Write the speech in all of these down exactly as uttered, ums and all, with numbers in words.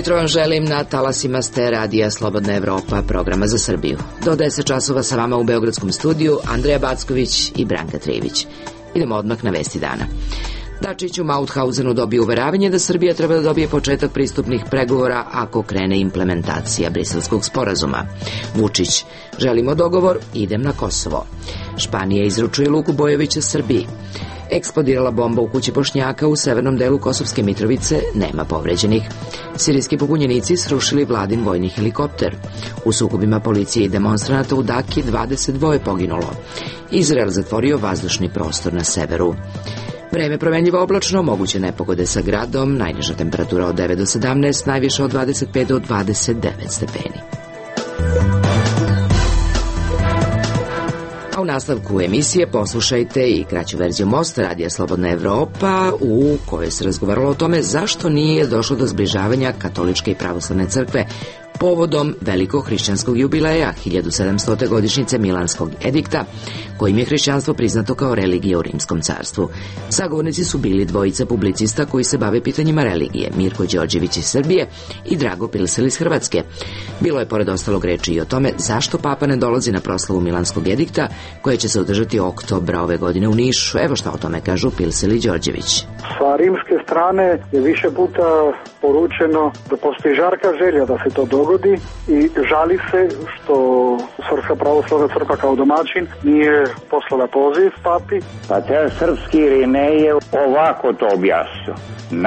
jutro vam želim na talasima ste radija Slobodna Evropa, programa za Srbiju. Do deset časova sa vama u Beogradskom studiju Andreja Backović i Branka Trivić. Idemo odmah na vesti dana. Dačić u Mauthausenu dobio uveravanje da Srbija treba da dobije početak pristupnih pregovora ako krene implementacija Briselskog sporazuma. Vučić: želimo dogovor, idem na Kosovo. Španija izručuje Luku Bojovića Srbiji. Eksplodirala bomba u kući Bošnjaka u severnom delu Kosovske Mitrovice, nema povređenih. Sirijski pobunjenici srušili vladin vojni helikopter. U sukobima policije i demonstranata u Daki dvadeset dva poginulo. Izrael zatvorio vazdušni prostor na severu. Vreme promenljivo oblačno, moguće nepogode sa gradom, najniža temperatura od devet do sedamnaest, najviša od dvadeset pet do dvadeset devet stepeni. A u nastavku emisije poslušajte i kraću verziju Mosta radija Slobodna Evropa, u kojoj se razgovaralo o tome zašto nije došlo do zbližavanja katoličke i pravoslavne crkve povodom velikog hrišćanskog jubileja hiljadu sedamstote godišnjice Milanskog edikta, kojim je hrišćanstvo priznato kao religija u Rimskom carstvu. Sagovornici su bili dvojica publicista koji se bave pitanjima religije, Mirko Đorđević iz Srbije i Drago Pilsel iz Hrvatske. Bilo je pored ostalog reči i o tome zašto papa ne dolazi na proslavu Milanskog edikta, koja će se održati oktobra ove godine u Nišu. Evo šta o tome kažu Pilsel i Đorđević. Sa rimske strane je više puta poručeno da postoji žarka želja da se to dogodi i žali se što Srpska pravoslavna crkva kao domaćin nije poslala poziv papi. Pa te srpski Irinej ovako to objasnio.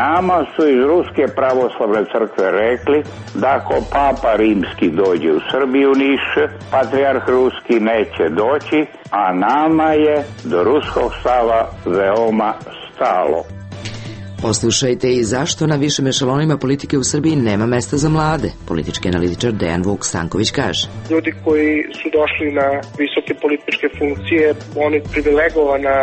Nama su iz Ruske pravoslavne crkve rekli da ako papa rimski dođe u Srbiju Niš, patrijarh ruski neće doći, a nama je do ruskog stava veoma stalo. Poslušajte i zašto na višim ešalonima politike u Srbiji nema mesta za mlade. Politički analitičar Dejan Vuk Stanković kaže: ljudi koji su došli na visoke političke funkcije, oni privilegovana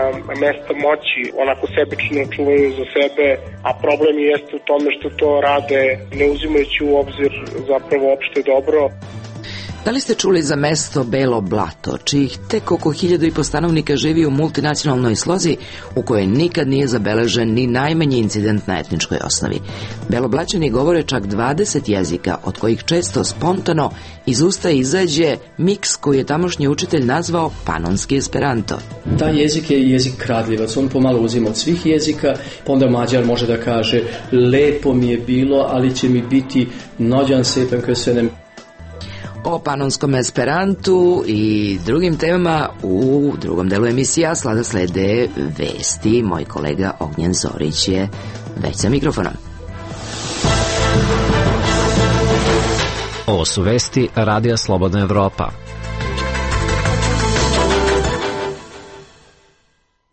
mesta moći, onako sebično čuvaju za sebe, a problem jeste u tome što to rade ne uzimajući u obzir zapravo opšte dobro. Da li ste čuli za mesto Belo Blato, čijih tek oko hiljadu i po stanovnika živi u multinacionalnoj slozi u kojoj nikad nije zabeležen ni najmanji incident na etničkoj osnovi? Beloblaćani govore čak dvadeset jezika, od kojih često spontano iz usta izađe miks koji je tamošnji učitelj nazvao panonski esperanto. Taj jezik je jezik kradljivac, on pomalo uzima od svih jezika, pa onda Mađar može da kaže lepo mi je bilo, ali će mi biti nođan sepen köszönöm. O panonskom esperantu i drugim temama u drugom delu emisija slada slede vesti. Moj kolega Ognjen Zorić je već sa mikrofonom. Ovo su vesti radija Slobodna Evropa.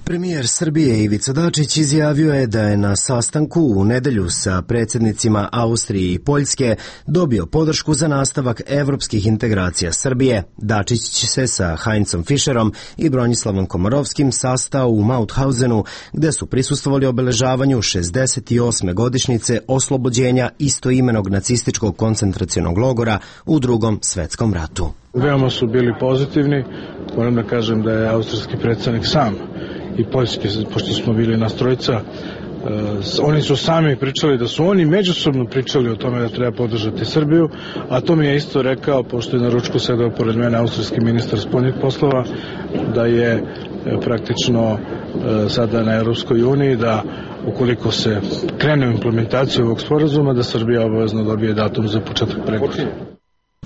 Premijer Srbije Ivica Dačić izjavio je da je na sastanku u nedelju sa predsjednicima Austrije i Poljske dobio podršku za nastavak evropskih integracija Srbije. Dačić će se sa Heinzom Fischerom i Bronislavom Komorovskim sastao u Mauthausenu, gde su prisustvovali obeležavanju šezdeset osme godišnjice oslobođenja istoimenog nacističkog koncentracionog logora u Drugom svetskom ratu. Veoma su bili pozitivni, moram da kažem da je austrijski predsjednik sam i poljski, pošto smo bili nas trojica, uh, oni su sami pričali da su oni međusobno pričali o tome da treba podržati Srbiju, a to mi je isto rekao, pošto je na ručku sedao pored mene austrijski ministar spoljnih poslova, da je uh, praktično uh, sada na Europskoj uniji, da ukoliko se krene u implementaciju ovog sporazuma, da Srbija obavezno dobije datum za početak pregovora.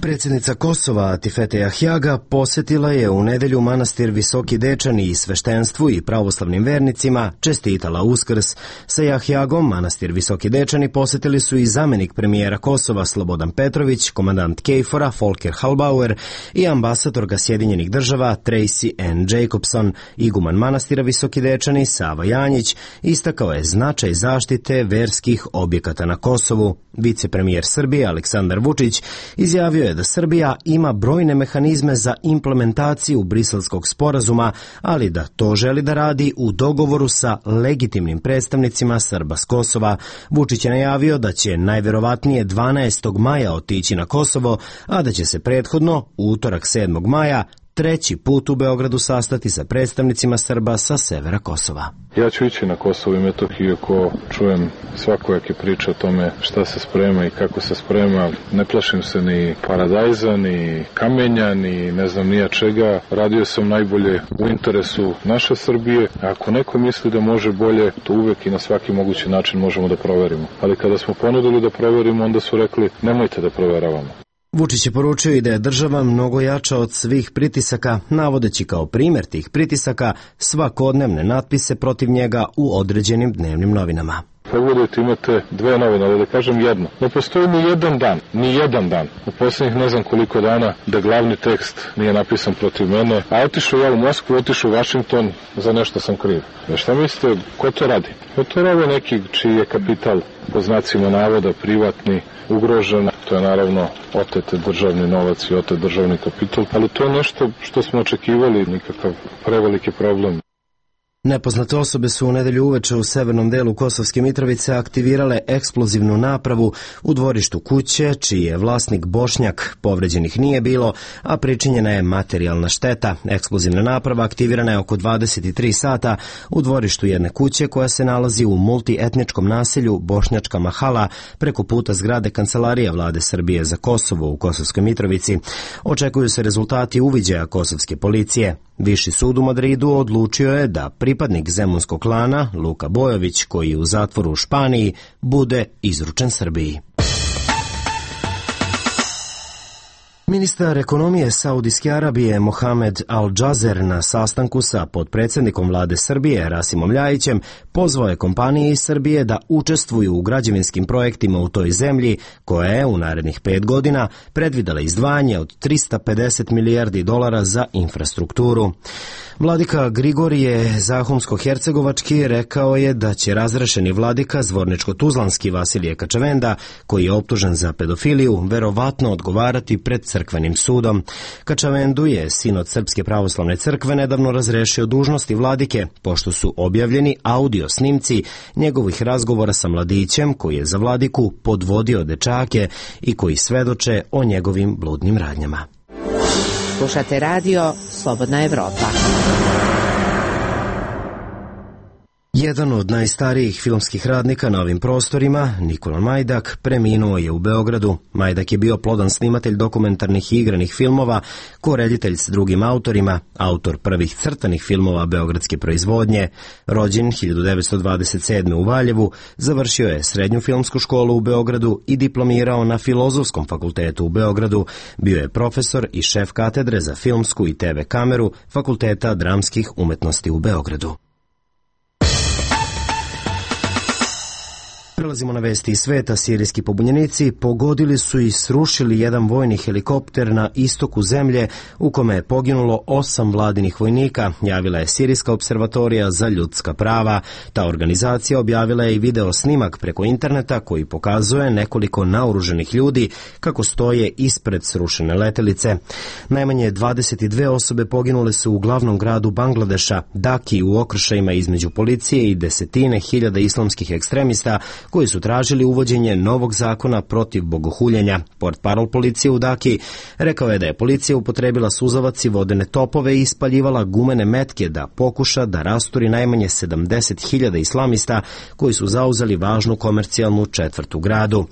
Predsjednica Kosova Atifete Jahjaga posetila je u nedelju manastir Visoki Dečani i sveštenstvu i pravoslavnim vernicima, čestitala Uskrs. Sa Jahjagom manastir Visoki Dečani posetili su i zamenik premijera Kosova Slobodan Petrović, komandant Kejfora Volker Halbauer i ambasadorka Sjedinjenih država Tracy Ann Jacobson. Iguman manastira Visoki Dečani Sava Janjić istakao je značaj zaštite verskih objekata na Kosovu. Vicepremijer Srbije Aleksandar Vučić izjavio je da Srbija ima brojne mehanizme za implementaciju Briselskog sporazuma, ali da to želi da radi u dogovoru sa legitimnim predstavnicima Srba s Kosova. Vučić je najavio da će najverovatnije dvanaestog maja otići na Kosovo, a da će se prethodno, u utorak sedmog maja, treći put u Beogradu sastati sa predstavnicima Srba sa severa Kosova. Ja ću ići na Kosovo i Metohiju ako čujem svakojake priče o tome šta se sprema i kako se sprema. Ne plašim se ni paradajza, ni kamenja, ni ne znam nija čega. Radio sam najbolje u interesu naše Srbije. Ako neko misli da može bolje, to uvek i na svaki mogući način možemo da proverimo. Ali kada smo ponudili da proverimo, onda su rekli nemojte da proveravamo. Vučić je poručio i da je država mnogo jača od svih pritisaka, navodeći kao primjer tih pritisaka svakodnevne natpise protiv njega u određenim dnevnim novinama. Pogledajte, imate dve novine, ali da kažem jedno. Ne postoji ni jedan dan, ni jedan dan, u posljednjih ne znam koliko dana, da glavni tekst nije napisan protiv mene, a otišao ja u Moskvu, otišao u Vašington, za nešto sam kriv. E šta mislite, ko to radi? Ko to radi neki čiji je kapital, po znacima navoda, privatni, ugrožen, to je naravno otet državni novac i otet državni kapital, ali to je nešto što smo očekivali, nikakav preveliki problem. Nepoznate osobe su u nedelju uveče u severnom delu Kosovske Mitrovice aktivirale eksplozivnu napravu u dvorištu kuće, čiji je vlasnik Bošnjak. Povređenih nije bilo, a pričinjena je materijalna šteta. Eksplozivna naprava aktivirana je oko dvadeset tri sata u dvorištu jedne kuće koja se nalazi u multietničkom naselju Bošnjačka Mahala preko puta zgrade Kancelarije Vlade Srbije za Kosovo u Kosovskoj Mitrovici. Očekuju se rezultati uviđaja kosovske policije. Viši sud u Madridu odlučio je da pripadnik zemunskog klana, Luka Bojović, koji je u zatvoru u Španiji, bude izručen Srbiji. Ministar ekonomije Saudijske Arabije Mohamed Al-Džazer na sastanku sa potpredsjednikom vlade Srbije Rasimom Ljajićem pozvao je kompanije iz Srbije da učestvuju u građevinskim projektima u toj zemlji koja je u narednih pet godina predvidela izdvajanje od trista pedeset milijardi dolara za infrastrukturu. Vladika Grigorije Zahumsko-Hercegovački rekao je da će razrešeni vladika Zvorničko-Tuzlanski Vasilije Kačavenda, koji je optužen za pedofiliju, verovatno odgovarati pred crkvenim sudom. Kačavendu je sinod Srpske pravoslavne crkve nedavno razrešio dužnosti vladike, pošto su objavljeni audio snimci njegovih razgovora sa mladićem koji je za vladiku podvodio dečake i koji svedoče o njegovim bludnim radnjama. Slušate radio Slobodna Evropa. Jedan od najstarijih filmskih radnika na ovim prostorima, Nikola Majdak, preminuo je u Beogradu. Majdak je bio plodan snimatelj dokumentarnih i igranih filmova, koreditelj s drugim autorima, autor prvih crtanih filmova beogradske proizvodnje. Rođen hiljadu devetsto dvadeset sedme. u Valjevu, završio je srednju filmsku školu u Beogradu i diplomirao na Filozofskom fakultetu u Beogradu. Bio je profesor i šef katedre za filmsku i te ve kameru Fakulteta dramskih umetnosti u Beogradu. Prelazimo na vesti iz sveta. Sirijski pobunjenici pogodili su i srušili jedan vojni helikopter na istoku zemlje u kome je poginulo osam vladinih vojnika, javila je Sirijska observatorija za ljudska prava. Ta organizacija objavila je i video snimak preko interneta koji pokazuje nekoliko naoruženih ljudi kako stoje ispred srušene letelice. Najmanje dvadeset dve osobe poginule su u glavnom gradu Bangladeša, Daki, u okršajima između policije i desetine hiljada islamskih ekstremista koji su tražili uvođenje novog zakona protiv bogohuljenja. Portparol policije u Daki rekao je da je policija upotrebila suzavac i vodene topove i ispaljivala gumene metke da pokuša da rasturi najmanje sedamdeset hiljada islamista koji su zauzeli važnu komercijalnu četvrt u gradu.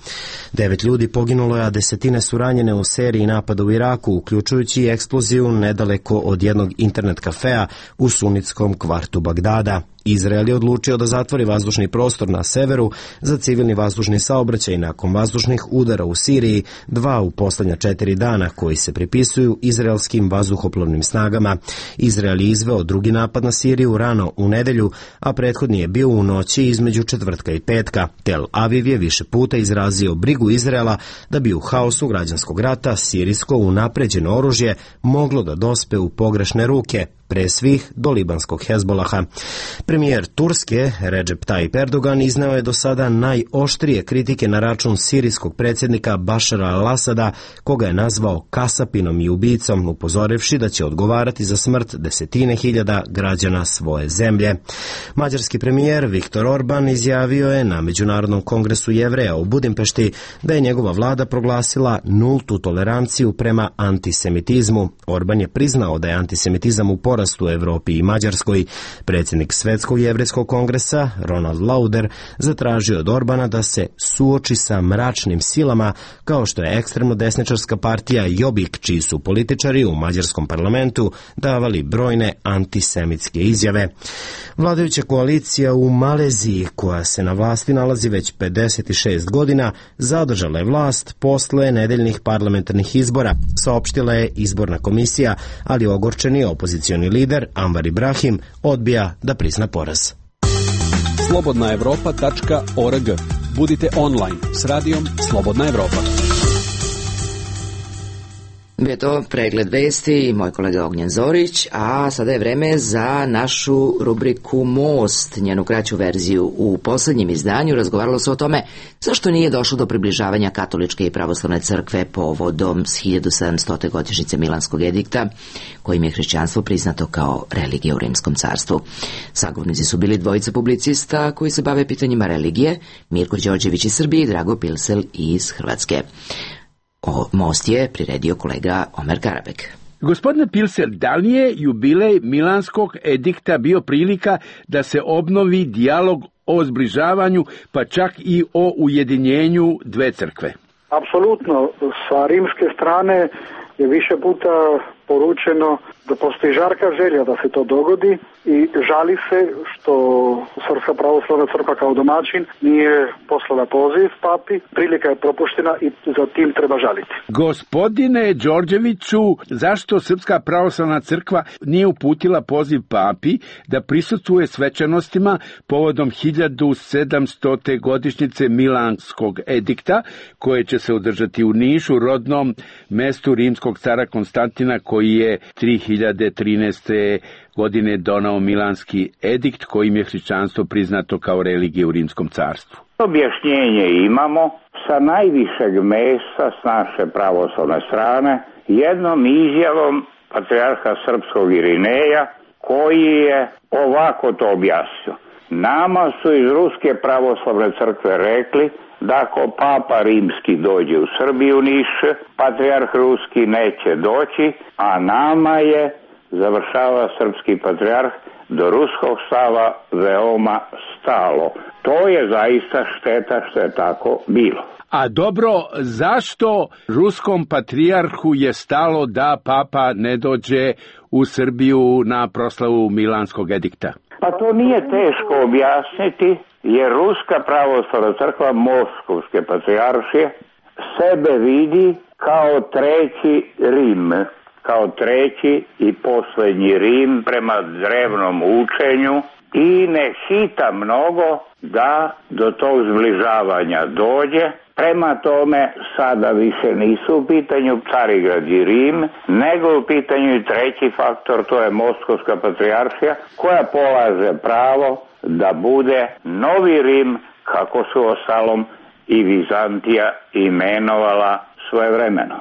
Devet ljudi poginulo je, a desetine su ranjene u seriji napada u Iraku, uključujući i eksploziju nedaleko od jednog internet kafea u sunitskom kvartu Bagdada. Izrael je odlučio da zatvori vazdušni prostor na severu za civilni vazdušni saobraćaj nakon vazdušnih udara u Siriji, dva u poslednja četiri dana koji se pripisuju izraelskim vazduhoplovnim snagama. Izrael je izveo drugi napad na Siriju rano u nedelju, a prethodni je bio u noći između četvrtka i petka. Tel Aviv je više puta izrazio brigu Izraela da bi u haosu građanskog rata sirijsko unapređeno oružje moglo da dospe u pogrešne ruke, pre svih do libanskog Hezbolaha. Premijer Turske, Recep Tayyip Erdogan, izneo je do sada najoštrije kritike na račun sirijskog predsjednika Bašara al-Asada, koga je nazvao kasapinom i ubicom, upozorivši da će odgovarati za smrt desetine hiljada građana svoje zemlje. Mađarski premijer Viktor Orban izjavio je na Međunarodnom kongresu Jevreja u Budimpešti da je njegova vlada proglasila nultu toleranciju prema antisemitizmu. Orban je priznao da je antisemitizam u porastu u Evropi i Mađarskoj. Predsjednik Svetskog jevrejskog kongresa Ronald Lauder zatražio od Orbana da se suoči sa mračnim silama kao što je ekstremno desničarska partija Jobbik, čiji su političari u mađarskom parlamentu davali brojne antisemitske izjave. Vladajuća koalicija u Maleziji, koja se na vlasti nalazi već pedeset šest godina, zadržala je vlast posle nedeljnih parlamentarnih izbora, saopštila je izborna komisija, ali ogorčeni opozicioni lider Anwar Ibrahim odbija da prizna poraz. slobodna evropa tačka org. Budite online s radijom Slobodna Evropa. Bio je to pregled vesti i moj kolega Ognjen Zorić, a sada je vreme za našu rubriku Most, njenu kraću verziju. U poslednjem izdanju razgovaralo se o tome zašto nije došlo do približavanja katoličke i pravoslavne crkve povodom s hiljadu sedamstote godišnjice Milanskog edikta, kojim je hrišćanstvo priznato kao religija u Rimskom carstvu. Sagovornici su bili dvojica publicista koji se bave pitanjima religije, Mirko Đorđević iz Srbije i Drago Pilsel iz Hrvatske. O Most je priredio kolega Omer Karabek. Gospodine Pilsel, da li je jubilej Milanskog edikta bio prilika da se obnovi dijalog o zbližavanju, pa čak i o ujedinjenju dve crkve? Apsolutno. Sa rimske strane je više puta poručeno da postoji žarka želja da se to dogodi i žali se što Srpska pravoslavna crkva kao domaćin nije poslala poziv papi, prilika je propuštena i za tim treba žaliti. Gospodine Đorđeviću, zašto Srpska pravoslavna crkva nije uputila poziv papi da prisustvuje svečanostima povodom hiljadu sedamstote godišnjice Milanskog edikta, koje će se održati u Nišu, rodnom mestu rimskog cara Konstantina, koji je tri hiljade trinaeste. godine donao Milanski edikt, kojim je hrišćanstvo priznato kao religija u Rimskom carstvu? Objašnjenje imamo sa najvišeg mesta s naše pravoslavne strane, jednom izjavom patrijarha srpskog Irineja, koji je ovako to objasnio. Nama su iz Ruske pravoslavne crkve rekli da ako papa rimski dođe u Srbiju, Niš, patrijarh ruski neće doći, a nama je, završava srpski patrijarh, do ruskog stava veoma stalo. To je zaista šteta što je tako bilo. A dobro, zašto ruskom patrijarhu je stalo da papa ne dođe u Srbiju na proslavu Milanskog edikta? Pa to nije teško objasniti, jer Ruska pravoslavna crkva Moskovske patrijaršije sebe vidi kao treći Rim, kao treći i posljednji Rim prema drevnom učenju i ne hita mnogo da do tog zbližavanja dođe. Prema tome sada više nisu u pitanju Carigrad i Rim, nego u pitanju i treći faktor, to je Moskovska patrijaršija, koja polaže pravo da bude novi Rim, kako su ostalom i Vizantija imenovala svojevremeno.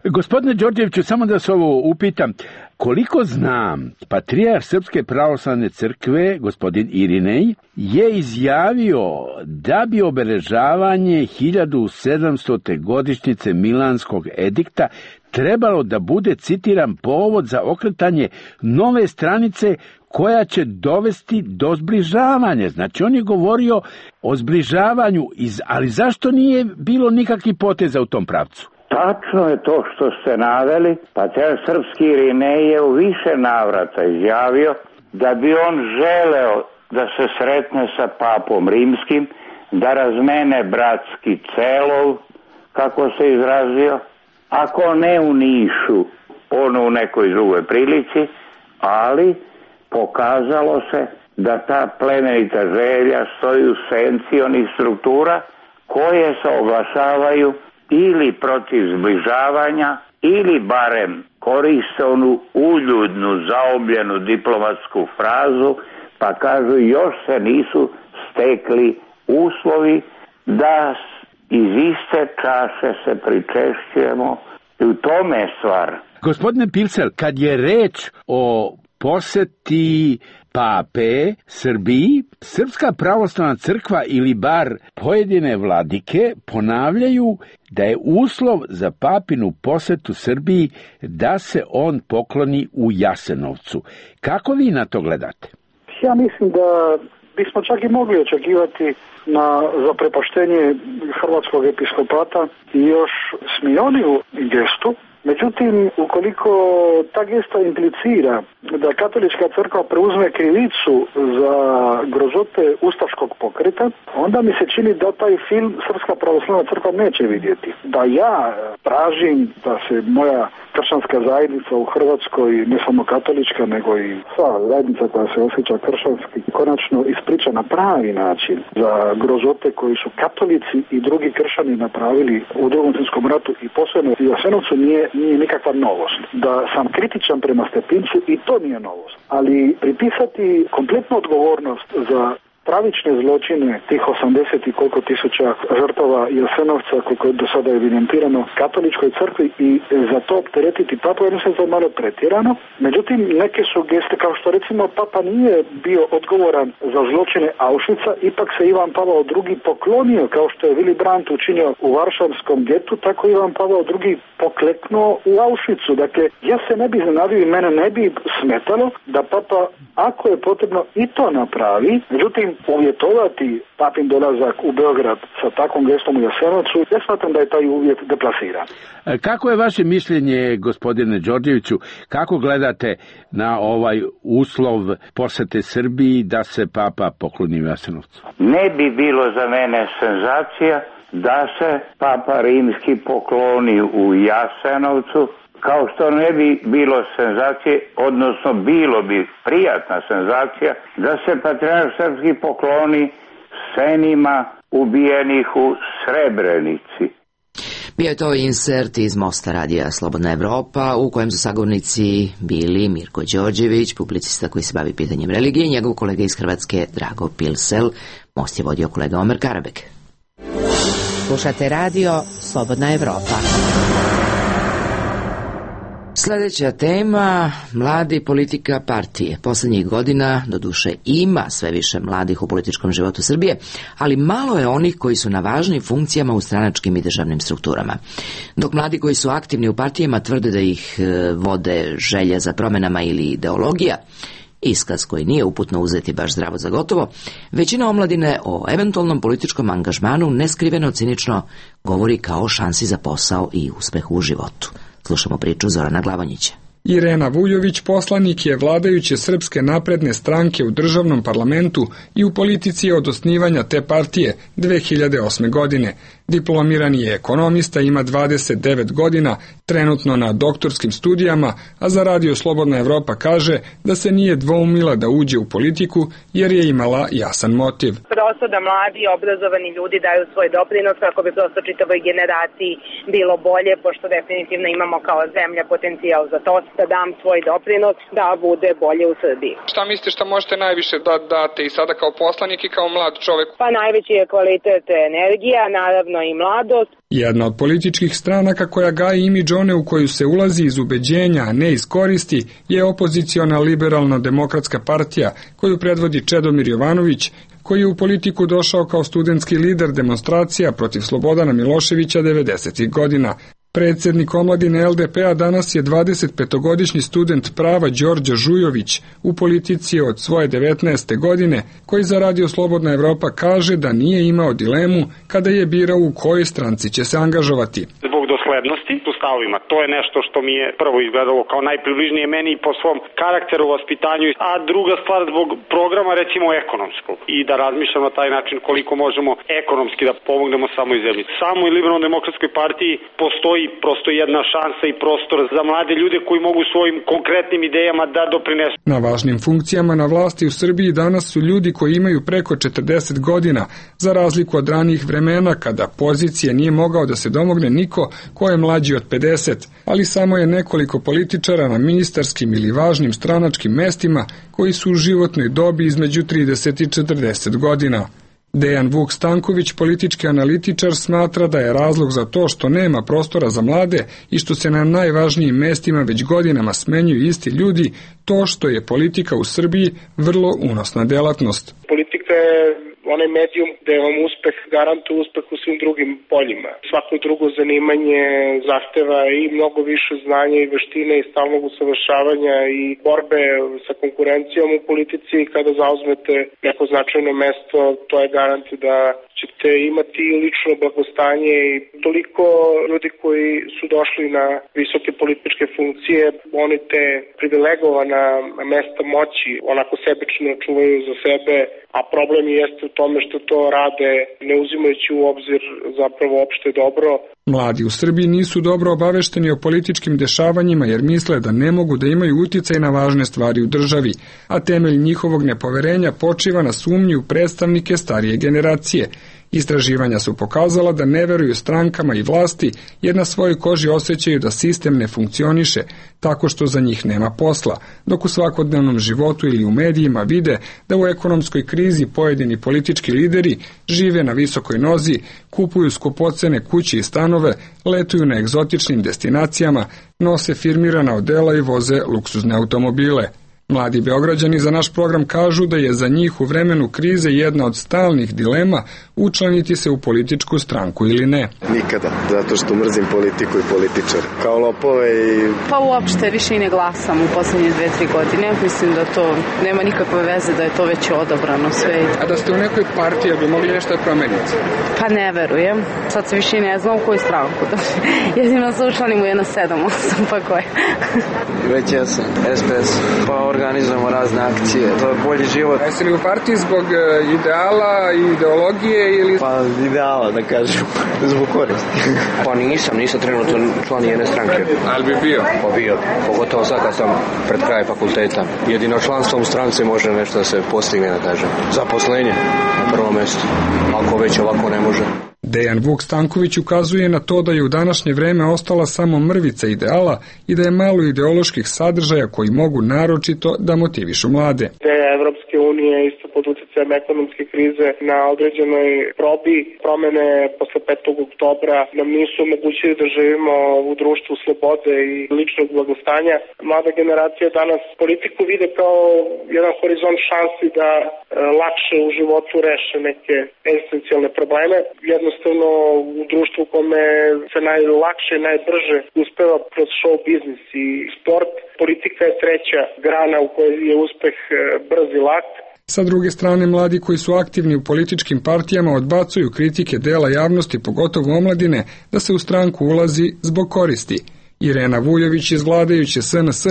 Gospodine Đorđeviću, samo da se ovo upitam, koliko znam, patrijarh Srpske pravoslavne crkve, gospodin Irinej, je izjavio da bi obeležavanje hiljadu sedamstote godišnjice Milanskog edikta trebalo da bude, citiram, povod za okretanje nove stranice koja će dovesti do zbližavanja. Znači, on je govorio o zbližavanju, ali zašto nije bilo nikakvih poteza u tom pravcu? Tačno je to što ste naveli, patrijarh srpski Irinej je u više navrata izjavio da bi on želeo da se sretne sa papom rimskim, da razmene bratski celov, kako se izrazio, ako ne u Nišu, ono u nekoj drugoj prilici, ali pokazalo se da ta plemenita želja stoji u senci onih struktura koje se oglašavaju ili protiv zbližavanja ili barem koriste onu uljudnu, zaobljenu diplomatsku frazu, pa kažu još se nisu stekli uslovi da iz iste čaše se pričešćujemo i u tome je stvar. Gospodine Pilsel, kad je reč o poseti pape Srbiji, Srpska pravoslavna crkva ili bar pojedine vladike ponavljaju da je uslov za papinu posetu Srbiji da se on pokloni u Jasenovcu. Kako vi na to gledate? Ja mislim da bismo čak i mogli očekivati na zaprepaštenje hrvatskog episkopata i još smioniju gestu. Međutim, ukoliko ta gesta implicira da katolička crkva preuzme krivicu za grozote ustaškog pokreta, onda mi se čini da taj film Srpska pravoslavna crkva neće vidjeti. Da ja tražim da se moja kršćanska zajednica u Hrvatskoj, ne samo katolička, nego i sva zajednica koja se osjeća kršćanski, konačno ispriča na pravi način za grozote koji su katolici i drugi kršćani napravili u Drugom svjetskom ratu i posebno u Jasenovcu nije nije nikakva novost. Da sam kritičan prema Stepincu i to nije novost. Ali pripisati kompletnu odgovornost za pravične zločine tih osamdeset i koliko tisuća žrtava Jasenovca, koliko je do sada evidentirano katoličkoj crkvi i za to opteretiti papu, ja mislim da je malo pretjerano. Međutim, neke su geste, kao što recimo papa nije bio odgovoran za zločine Auschwitza, ipak se Ivan Pavao drugi poklonio, kao što je Willy Brandt učinio u Varšavskom getu, tako Ivan Pavao drugi pokleknuo u Auschwitzu. Dakle, ja se ne bi iznenadio i mene ne bi smetalo da papa, ako je potrebno, i to napravi. Međutim, uvjetovati papin dolazak u Beograd sa takvom gestom u Jasenovcu, ja smatram da je taj uvjet deplasiran. Kako je vaše mišljenje, gospodine Đorđeviću, kako gledate na ovaj uslov posete Srbiji da se papa pokloni u Jasenovcu? Ne bi bilo za mene senzacija da se papa rimski pokloni u Jasenovcu, kao što ne bi bilo senzacije, odnosno bilo bi prijatna senzacija da se patrijarh srpski pokloni senima ubijenih u Srebrenici. Bio je to insert iz Mosta radija Slobodna Evropa, u kojem su sagovornici bili Mirko Đorđević, publicista koji se bavi pitanjem religije, i njegov kolega iz Hrvatske Drago Pilsel. Most je vodio kolega Omer Karabek. Slušate radio Slobodna Evropa. Sljedeća tema, mladi, politika, partije. Poslednjih godina, doduše, ima sve više mladih u političkom životu Srbije, ali malo je onih koji su na važnim funkcijama u stranačkim i državnim strukturama. Dok mladi koji su aktivni u partijama tvrde da ih vode želja za promenama ili ideologija, iskaz koji nije uputno uzeti baš zdravo za gotovo, većina omladine o eventualnom političkom angažmanu neskriveno cinično govori kao o šansi za posao i uspehu u životu. Slušamo priču Zorana Glavonjića. Irena Vujović poslanik je vladajuće Srpske napredne stranke u državnom parlamentu i u politici od osnivanja te partije dve hiljade osme. godine. Diplomirani je ekonomista, ima dvadeset devet godina, trenutno na doktorskim studijama, a za radio Slobodna Evropa kaže da se nije dvoumila da uđe u politiku jer je imala jasan motiv. Prosto da mladi obrazovani ljudi daju svoj doprinos kako bi prosto čitavoj generaciji bilo bolje, pošto definitivno imamo kao zemlja potencijal za to, da dam svoj doprinos da bude bolje u Srbiji. Šta mislite šta možete najviše da date i sada kao poslanik i kao mlad čovek? Pa najveći je kvalitet energija, naravno i mladost. Jedna od političkih stranaka koja gaji imidž one u koju se ulazi iz ubeđenja, a ne iz koristi, je opoziciona liberalno-demokratska partija koju predvodi Čedomir Jovanović, koji je u politiku došao kao studentski lider demonstracija protiv Slobodana Miloševića devedesetih godina. Predsjednik omladine el de pe a danas je dvadesetpetogodišnji student prava Đorđe Žujović, u politici od svoje devetnaeste. godine, koji za radio Slobodna Evropa kaže da nije imao dilemu kada je birao u kojoj stranci će se angažovati. Zbog doslednosti u stavovima, to je nešto što mi je prvo izgledalo kao najpribližnije meni i po svom karakteru, vaspitanju, a druga stvar zbog programa recimo ekonomskog i da razmišljamo na taj način koliko možemo ekonomski da pomognemo samoj zemlji. Samo i Liberalno-demokratskoj partiji postoji prosto jedna šansa i prostor za mlade ljude koji mogu svojim konkretnim idejama da doprinesu. Na važnim funkcijama na vlasti u Srbiji danas su ljudi koji imaju preko četrdeset godina, za razliku od ranijih vremena kada pozicije nije mogao da se domogne niko ko je mlađi od pedeset, ali samo je nekoliko političara na ministarskim ili važnim stranačkim mestima koji su u životnoj dobi između trideset i četrdeset godina. Dejan Vuk Stanković, politički analitičar, smatra da je razlog za to što nema prostora za mlade i što se na najvažnijim mestima već godinama smenjuju isti ljudi, to što je politika u Srbiji vrlo unosna delatnost. Politika je onaj medijum gde vam uspeh garantuje uspeh u svim drugim poljima. Svako drugo zanimanje zahteva i mnogo više znanja i veštine i stalnog usavršavanja i borbe sa konkurencijom u politici. Kada zauzmete neko značajno mesto, to je garant da ćete imati lično blagostanje i toliko ljudi koji su došli na visoke političke funkcije, oni te privilegovana mesta moći onako sebično čuvaju za sebe, a problem jeste u tome što to rade ne uzimajući u obzir zapravo opšte dobro. Mladi u Srbiji nisu dobro obavešteni o političkim dešavanjima jer misle da ne mogu da imaju uticaj na važne stvari u državi, a temelj njihovog nepoverenja počiva na sumnji u predstavnike starije generacije. Istraživanja su pokazala da ne veruju strankama i vlasti jer na svojoj koži osjećaju da sistem ne funkcioniše tako što za njih nema posla, dok u svakodnevnom životu ili u medijima vide da u ekonomskoj krizi pojedini politički lideri žive na visokoj nozi, kupuju skupocene kuće i stanove, letuju na egzotičnim destinacijama, nose firmirana odela i voze luksuzne automobile. Mladi Beograđani za naš program kažu da je za njih u vremenu krize jedna od stalnih dilema učlaniti se u političku stranku ili ne. Nikada, zato što mrzim politiku i političar. Kao lopove i... Pa uopšte više i ne glasam u poslednje dve, tri godine. Mislim da to nema nikakve veze, da je to već odabrano sve. A da ste u nekoj partiji, bi mogli nešto da promeniti? Pa ne verujem. Sad se više i ne znam u koju stranku. Jedino se učlanim u jedno sedam, osam, pa koje. Već ja sam S P S, pa organizujemo razne akcije, to je bolji život. Jesi li u partiji zbog ideala i ideologije ili... Pa ideala, da kažem, zbog koristi. Pa nisam, nisam trenutno član jedne stranke. Ali bi bio? Pa bio, pogotovo sad kad sam pred kraj fakulteta. Jedino članstvom strance može nešto da se postigne, da kažem. Zaposlenje na prvom mjestu, ako već ovako ne može. Dejan Vuk Stanković ukazuje na to da je u današnje vreme ostala samo mrvica ideala i da je malo ideoloških sadržaja koji mogu naročito da motivišu mlade. Evropske unije isto pod utjecajem ekonomske krize na određenoj probi promene posle petog oktobra nam nisu omogućili da živimo u društvu slobode i ličnog blagostanja. Mlada generacija danas politiku vide kao jedan horizont šansi da e, lakše u životu reše neke esencijalne probleme. Jednostavno u društvu u kome se najlakše, najbrže uspeva kroz show biznis i sport, politika je treća grana u kojoj je uspeh brz i lak. Sa druge strane, mladi koji su aktivni u političkim partijama odbacuju kritike dela javnosti, pogotovo omladine, da se u stranku ulazi zbog koristi. Irena Vujović iz vladajuće S N S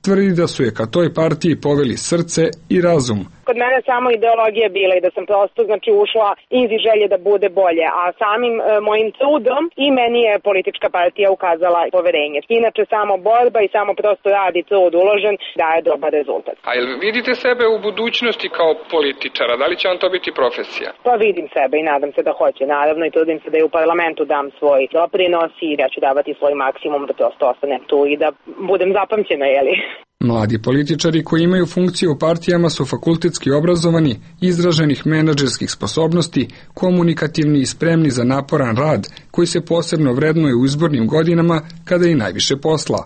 tvrdi da su je ka toj partiji poveli srce i razum. Kod mene samo ideologija bila i da sam prosto znači ušla iz želje da bude bolje, a samim e, mojim trudom i meni je politička partija ukazala poverenje. Inače samo borba i samo prosto rad i trud uložen daje dobar rezultat. A jel vidite sebe u budućnosti kao političara? Da li će vam to biti profesija? Pa vidim sebe i nadam se da hoće. Naravno i trudim se da i u parlamentu dam svoj doprinos i da ću davati svoj maksimum da prosto ostanem tu i da budem zapamćena, jeli? Mladi političari koji imaju funkcije u partijama su fakultetski obrazovani, izraženih menadžerskih sposobnosti, komunikativni i spremni za naporan rad, koji se posebno vrednuje u izbornim godinama kada je i najviše posla.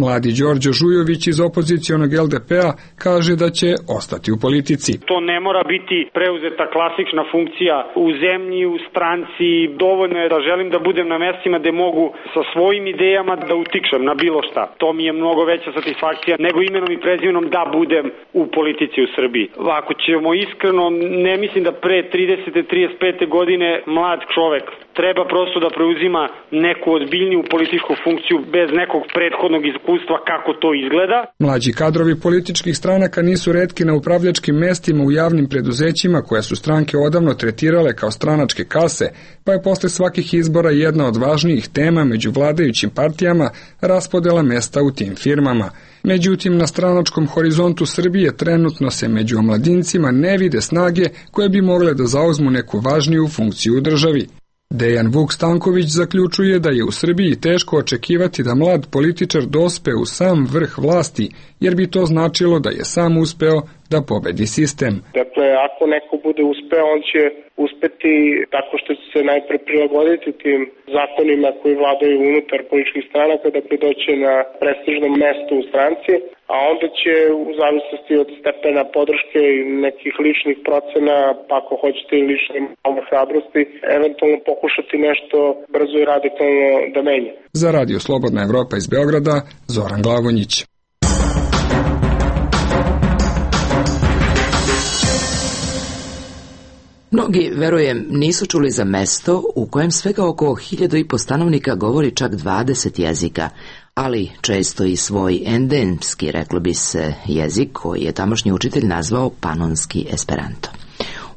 Mladi Đorđo Žujović iz opozicionog L D P-a kaže da će ostati u politici. To ne mora biti preuzeta klasična funkcija u zemlji, u stranci. Dovoljno je da želim da budem na mestima gde mogu sa svojim idejama da utičem na bilo šta. To mi je mnogo veća satisfakcija nego imenom i prezimenom da budem u politici u Srbiji. Ako ćemo iskreno, ne mislim da pre tridesete, trideset pete godine mlad čovek treba prosto da preuzima neku ozbiljniju političku funkciju bez nekog prethodnog iskustva kako to izgleda. Mlađi kadrovi političkih stranaka nisu retki na upravljačkim mestima u javnim preduzećima koje su stranke odavno tretirale kao stranačke kase, pa je posle svakih izbora jedna od važnijih tema među vladajućim partijama raspodela mesta u tim firmama. Međutim, na stranačkom horizontu Srbije trenutno se među omladincima ne vide snage koje bi mogle da zauzmu neku važniju funkciju u državi. Dejan Vuk Stanković zaključuje da je u Srbiji teško očekivati da mlad političar dospe u sam vrh vlasti, jer bi to značilo da je sam uspeo da pobedi sistem. Dakle, ako neko bude uspeo, on će uspeti tako što će se najpre prilagoditi tim zakonima koji vladaju unutar političkih stranaka, dakle doći na prestižno mesto u stranci, a onda će u zavisnosti od stepena podrške i nekih ličnih procena, pa ako hoćete i lične malo hrabrosti, eventualno pokušati nešto brzo i radikalno da menja. Za Radio Slobodna Evropa iz Beograda, Zoran Glavonjić. Mnogi, verujem, nisu čuli za mesto u kojem svega oko hiljadu i po stanovnika govori čak dvadeset jezika, ali često i svoj endemski, reklo bi se, jezik koji je tamošnji učitelj nazvao panonski esperanto.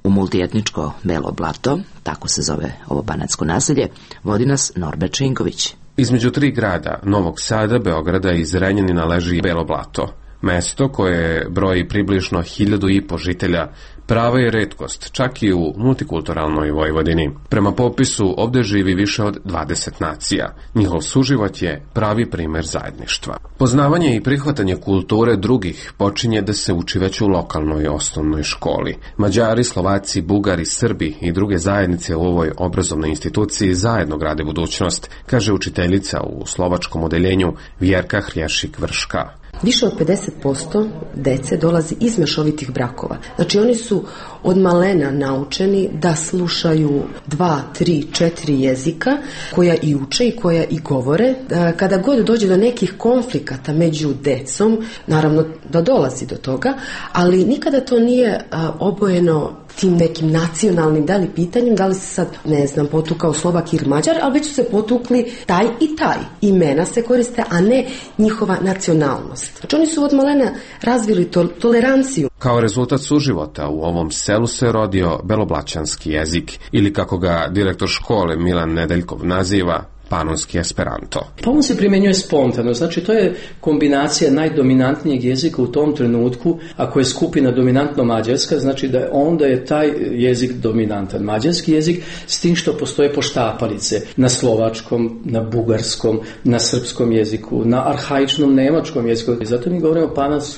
U multietničko Belo Blato, tako se zove ovo banatsko naselje, vodi nas Norbert Šinković. Između tri grada, Novog Sada, Beograda i Zrenjanina leži Belo Blato. Mesto koje broji približno hiljadu i po žitelja prava je retkost, čak i u multikulturalnoj Vojvodini. Prema popisu ovde živi više od dvadeset nacija. Njihov suživot je pravi primer zajedništva. Poznavanje i prihvatanje kulture drugih počinje da se uči već u lokalnoj osnovnoj školi. Mađari, Slovaci, Bugari, Srbi i druge zajednice u ovoj obrazovnoj instituciji zajedno grade budućnost, kaže učiteljica u slovačkom odeljenju Vjerka Hrješik-Vrška. Više od pedeset posto dece dolazi iz mešovitih brakova. Znači oni su od malena naučeni da slušaju dva, tri, četiri jezika koja i uče i koja i govore. Kada god dođe do nekih konflikata među decom, naravno da dolazi do toga, ali nikada to nije obojeno tim nekim nacionalnim da li pitanjem, da li se sad, ne znam, potukao Slovak ili Mađar, ali već su se potukli taj i taj. Imena se koriste, a ne njihova nacionalnost. Znači oni su od malena razvili to, toleranciju. Kao rezultat suživota u ovom selu se rodio beloblaćanski jezik, ili kako ga direktor škole Milan Nedeljkov naziva, panonski esperanto. Pa on se primjenjuje spontano, znači to je kombinacija najdominantnijeg jezika u tom trenutku, ako je skupina dominantno mađarska, znači da onda je taj jezik dominantan. Mađarski jezik s tim što postoje poštapalice na slovačkom, na bugarskom, na srpskom jeziku, na arhaičnom nemačkom jeziku. Zato mi govorimo o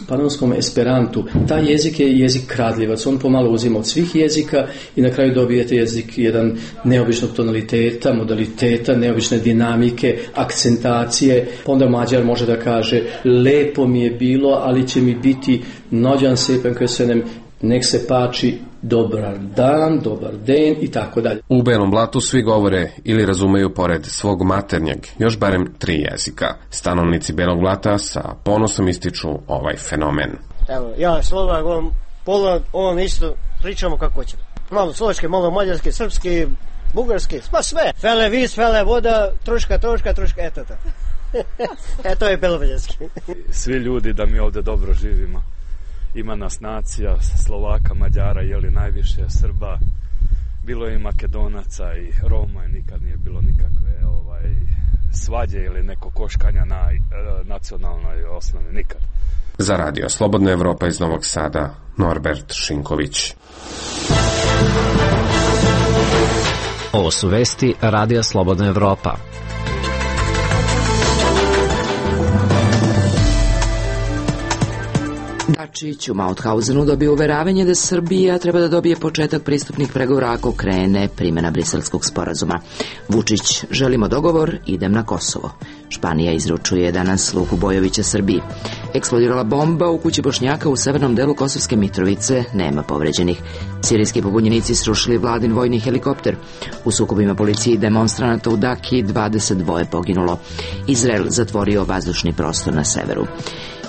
panonskom esperantu. Taj jezik je jezik kradljivac, on pomalo uzima od svih jezika i na kraju dobijete jezik jedan neobičnog tonaliteta, modaliteta, neobične dinamike, akcentacije, pa onda Mađar može da kaže lepo mi je bilo, ali će mi biti nođan sepen köszönöm, nek se pači dobar dan, dobar den i tako dalje. U Belom Blatu svi govore ili razumeju pored svog maternjeg još barem tri jezika. Stanovnici Belog Blata sa ponosom ističu ovaj fenomen. Evo, ja Slovak, on, pola, on isto pričamo kako hoćemo. Malo slovačke, malo mađarske, srpske, bugarski, pa sve. Fele vis, fele voda, troška, troška, troška, eto to. E, to je beloveljski. Svi ljudi da mi ovde dobro živimo. Ima nas nacija, Slovaka, Mađara, jeli najviše, Srba. Bilo je i Makedonaca i Roma i nikad nije bilo nikakve ovaj, svađe ili neko koškanja na e, nacionalnoj osnovi, nikad. Za Radio Slobodna Evropa iz Novog Sada, Norbert Šinković. Ovo su vesti Radija Slobodna Evropa. Dačić u Mauthausenu dobio uveravanje da Srbija treba da dobije početak pristupnih pregovora ako krene primjena briselskog sporazuma. Vučić, želimo dogovor, idem na Kosovo. Španija izručuje danas Luku Bojovića Srbiji. Eksplodirala bomba u kući Bošnjaka u severnom delu Kosovske Mitrovice, nema povređenih. Sirijski pobunjenici srušili vladin vojni helikopter. U sukobima policije i demonstranata u Daki dvadeset dva poginulo. Izrael zatvorio vazdušni prostor na severu.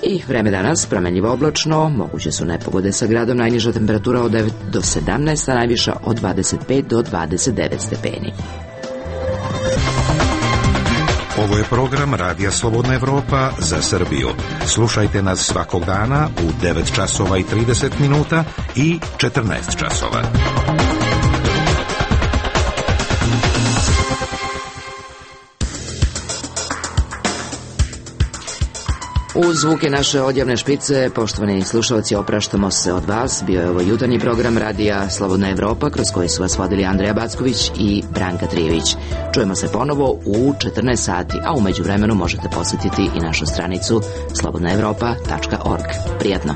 I vreme danas, promenljivo oblačno, moguće su nepogode sa gradom, najniža temperatura od devet do sedamnaest, a najviša od dvadeset pet do dvadeset devet stepeni. Ovo je program Radija Slobodna Evropa za Srbiju. Slušajte nas svakog dana u devet časova i trideset minuta i četrnaest časova. Uz zvuke naše odjavne špice, poštovani slušalci, opraštamo se od vas. Bio je ovo jutarnji program radija Slobodna Evropa, kroz koji su vas vodili Andreja Backović i Branka Trijević. Čujemo se ponovo u četrnaest sati, a u međuvremenu možete posjetiti i našu stranicu slobodna evropa tačka org. Prijatno!